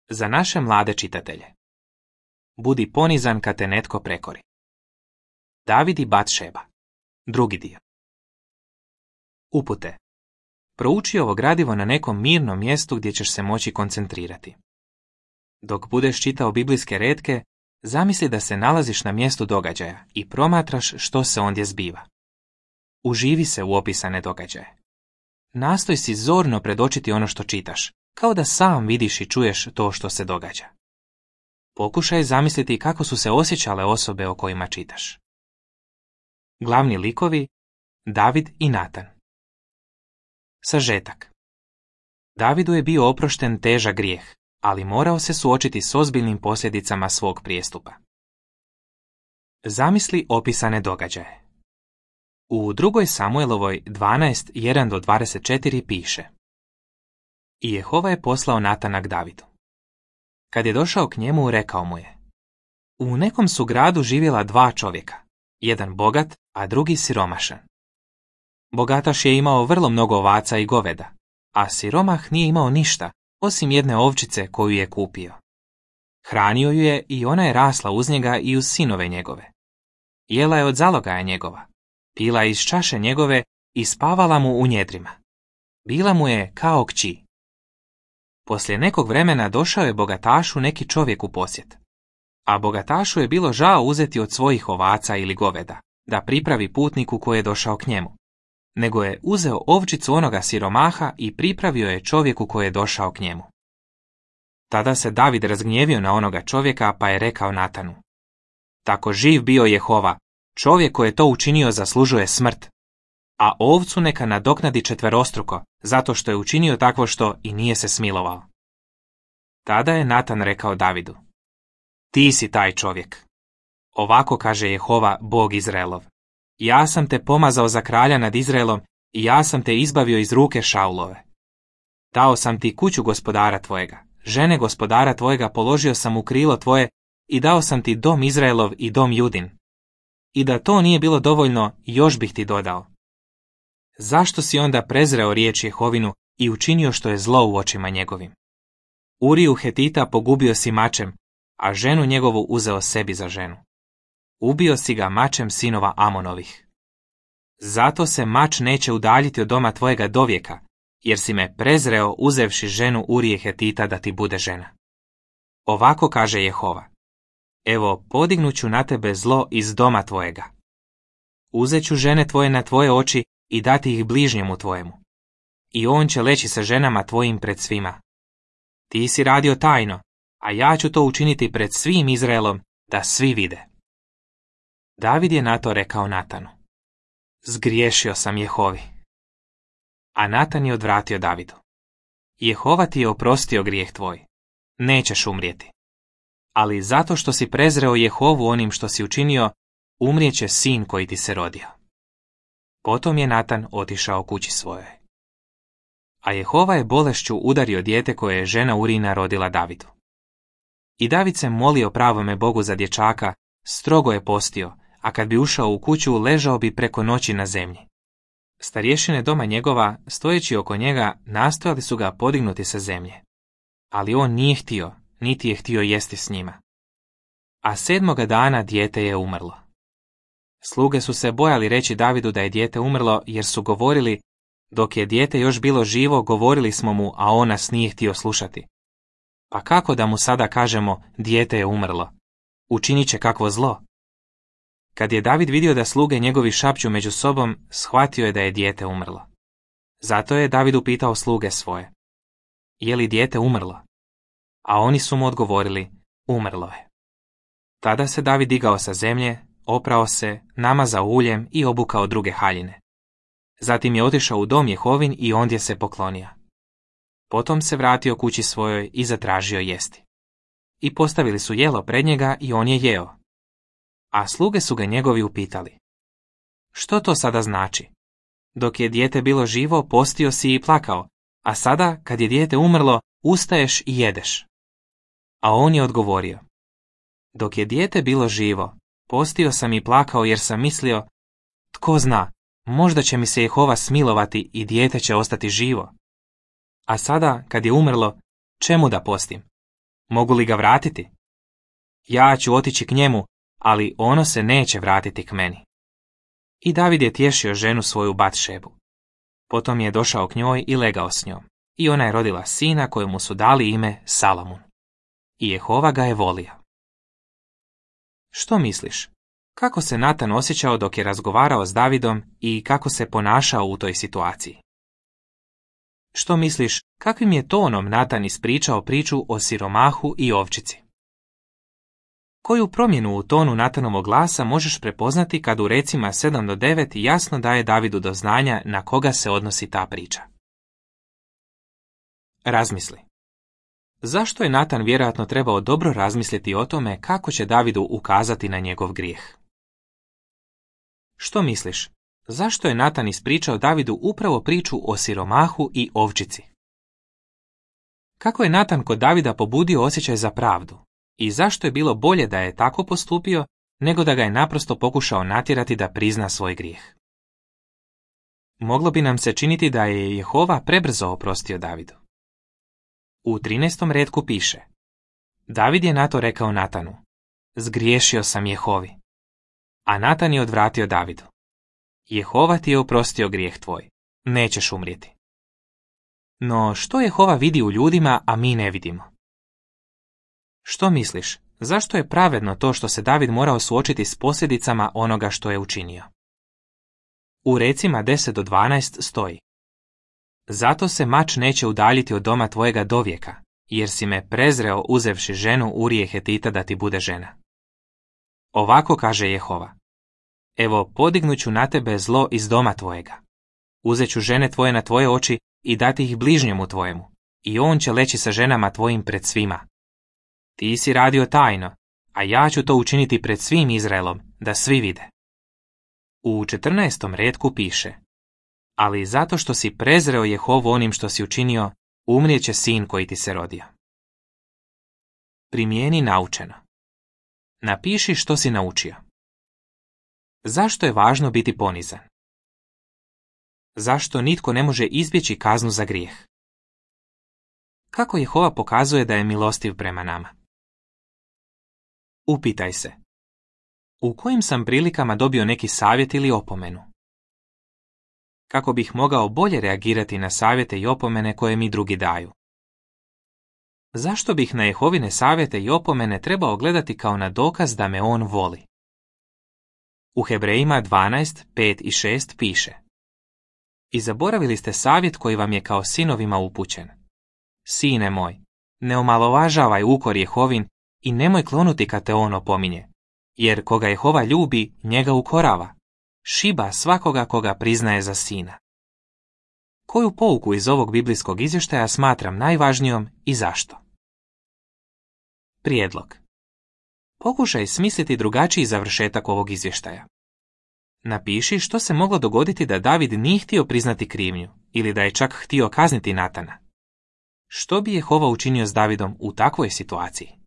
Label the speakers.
Speaker 1: Za naše mlade čitatelje. Budi ponizan kad te netko prekori. David i Batšeba. Drugi dio. Upute. Prouči ovo gradivo na nekom mirnom mjestu gdje ćeš se moći koncentrirati. Dok budeš čitao biblijske retke, zamisli da se nalaziš na mjestu događaja i promatraš što se ondje zbiva. Uživi se u opisane događaje. Nastoj si zorno predočiti ono što čitaš, kao da sam vidiš i čuješ to što se događa. Pokušaj zamisliti kako su se osjećale osobe o kojima čitaš. Glavni likovi, David i Natan. Sažetak. Davidu je bio oprošten težak grijeh, ali morao se suočiti s ozbiljnim posljedicama svog prijestupa. Zamisli opisane događaje. U 2. Samuelovoj 12:1-24 piše: I Jehova je poslao Natana k Davidu. Kad je došao k njemu, rekao mu je: U nekom su gradu živjela 2 čovjeka, jedan bogat, a drugi siromašan. Bogataš je imao vrlo mnogo ovaca i goveda, a siromah nije imao ništa, osim jedne ovčice koju je kupio. Hranio ju je i ona je rasla uz njega i uz sinove njegove. Jela je od zalogaja njegova, pila je iz čaše njegove i spavala mu u njedrima. Bila mu je kao kći. Poslije nekog vremena došao je bogatašu neki čovjek u posjet. A bogatašu je bilo žao uzeti od svojih ovaca ili goveda, da pripravi putniku koji je došao k njemu. Nego je uzeo ovčicu onoga siromaha i pripravio je čovjeku koji je došao k njemu. Tada se David razgnjevio na onoga čovjeka pa je rekao Natanu: Tako živ bio Jehova, čovjek koji je to učinio zaslužuje smrt, a ovcu neka nadoknadi 4-struko, zato što je učinio takvo što i nije se smilovao. Tada je Natan rekao Davidu: Ti si taj čovjek. Ovako kaže Jehova, Bog Izraelov: Ja sam te pomazao za kralja nad Izraelom i ja sam te izbavio iz ruke Šaulove. Dao sam ti kuću gospodara tvojega, žene gospodara tvojega položio sam u krilo tvoje i dao sam ti dom Izraelov i dom Judin. I da to nije bilo dovoljno, još bih ti dodao. Zašto si onda prezreo riječ Jehovinu i učinio što je zlo u očima njegovim? Uriju Hetita pogubio si mačem, a ženu njegovu uzeo sebi za ženu. Ubio si ga mačem sinova Amonovih. Zato se mač neće udaljiti od doma tvojega dovijeka, jer si me prezreo uzevši ženu Urije Hetita da ti bude žena. Ovako kaže Jehova: Evo, podignuću na tebe zlo iz doma tvojega. Uzet ću žene tvoje na tvoje oči i dati ih bližnjemu tvojemu. I on će leći sa ženama tvojim pred svima. Ti si radio tajno, a ja ću to učiniti pred svim Izraelom, da svi vide. David je na to rekao Natanu: Zgriješio sam Jehovi. A Natan je odvratio Davidu: Jehova ti je oprostio grijeh tvoj. Nećeš umrijeti. Ali zato što si prezreo Jehovu onim što si učinio, umrijeće sin koji ti se rodio. Potom je Natan otišao kući svojoj. A Jehova je bolešću udario dijete koje je žena Urina rodila Davidu. I David se molio pravome Bogu za dječaka, strogo je postio, a kad bi ušao u kuću, ležao bi preko noći na zemlji. Starješine doma njegova, stojeći oko njega, nastojali su ga podignuti sa zemlje. Ali on nije htio, niti je htio jesti s njima. A 7. dana dijete je umrlo. Sluge su se bojali reći Davidu da je dijete umrlo, jer su govorili: Dok je dijete još bilo živo, govorili smo mu, a on nas nije htio slušati. Pa kako da mu sada kažemo: Dijete je umrlo? Učinit će kakvo zlo. Kad je David vidio da sluge njegovi šapću među sobom, shvatio je da je dijete umrlo. Zato je David upitao sluge svoje: Je li dijete umrlo? A oni su mu odgovorili: Umrlo je. Tada se David digao sa zemlje, oprao se, namazao uljem i obukao druge haljine. Zatim je otišao u dom Jehovin i ondje se poklonio. Potom se vratio kući svojoj i zatražio jesti. I postavili su jelo pred njega i on je jeo. A sluge su ga njegovi upitali: Što to sada znači? Dok je dijete bilo živo, postio si i plakao, a sada, kad je dijete umrlo, ustaješ i jedeš. A on je odgovorio: Dok je dijete bilo živo, postio sam i plakao jer sam mislio: Tko zna, možda će mi se Jehova smilovati i dijete će ostati živo. A sada, kad je umrlo, čemu da postim? Mogu li ga vratiti? Ja ću otići k njemu, ali ono se neće vratiti k meni. I David je tješio ženu svoju Batšebu. Potom je došao k njoj i legao s njom. I ona je rodila sina kojemu su dali ime Salamun. I Jehova ga je volio. Što misliš? Kako se Natan osjećao dok je razgovarao s Davidom i kako se ponašao u toj situaciji? Što misliš, kakvim je tonom Natan ispričao priču o siromahu i ovčici? Koju promjenu u tonu Natanovog glasa možeš prepoznati kad u recima 7 do 9 jasno daje Davidu do znanja na koga se odnosi ta priča? Razmisli. Zašto je Natan vjerojatno trebao dobro razmisliti o tome kako će Davidu ukazati na njegov grijeh? Što misliš? Zašto je Natan ispričao Davidu upravo priču o siromahu i ovčici? Kako je Natan kod Davida pobudio osjećaj za pravdu? I zašto je bilo bolje da je tako postupio, nego da ga je naprosto pokušao natjerati da prizna svoj grijeh? Moglo bi nam se činiti da je Jehova prebrzo oprostio Davidu. U 13. retku piše: David je na to rekao Natanu: Zgriješio sam Jehovi. A Natan je odvratio Davidu: Jehova ti je oprostio grijeh tvoj, nećeš umrijeti. No što Jehova vidi u ljudima, a mi ne vidimo? Što misliš, zašto je pravedno to što se David morao suočiti s posljedicama onoga što je učinio? U recima 10 do 12 stoji: Zato se mač neće udaljiti od doma tvojega dovijeka, jer si me prezreo uzevši ženu Urije Hetita da ti bude žena. Ovako kaže Jehova: Evo, podignut ću na tebe zlo iz doma tvojega. Uzet ću žene tvoje na tvoje oči i dati ih bližnjemu tvojemu, i on će leći sa ženama tvojim pred svima. Ti si radio tajno, a ja ću to učiniti pred svim Izraelom, da svi vide. U 14. retku piše: Ali zato što si prezreo Jehovu onim što si učinio, umrijet će sin koji ti se rodio. Primijeni naučeno. Napiši što si naučio. Zašto je važno biti ponizan? Zašto nitko ne može izbjeći kaznu za grijeh? Kako Jehova pokazuje da je milostiv prema nama? Upitaj se: u kojim sam prilikama dobio neki savjet ili opomenu? Kako bih mogao bolje reagirati na savjete i opomene koje mi drugi daju? Zašto bih na Jehovine savjete i opomene trebao gledati kao na dokaz da me on voli? U Hebrejima 12, 5 i 6 piše: I zaboravili ste savjet koji vam je kao sinovima upućen. Sine moj, ne omalovažavaj ukor Jehovin i nemoj klonuti kad te on opominje, jer koga Jehova ljubi, njega ukorava, šiba svakoga koga priznaje za sina. Koju pouku iz ovog biblijskog izvještaja smatram najvažnijom i zašto? Prijedlog. Pokušaj smisliti drugačiji završetak ovog izvještaja. Napiši što se moglo dogoditi da David nije htio priznati krivnju ili da je čak htio kazniti Natana. Što bi Jehova učinio s Davidom u takvoj situaciji?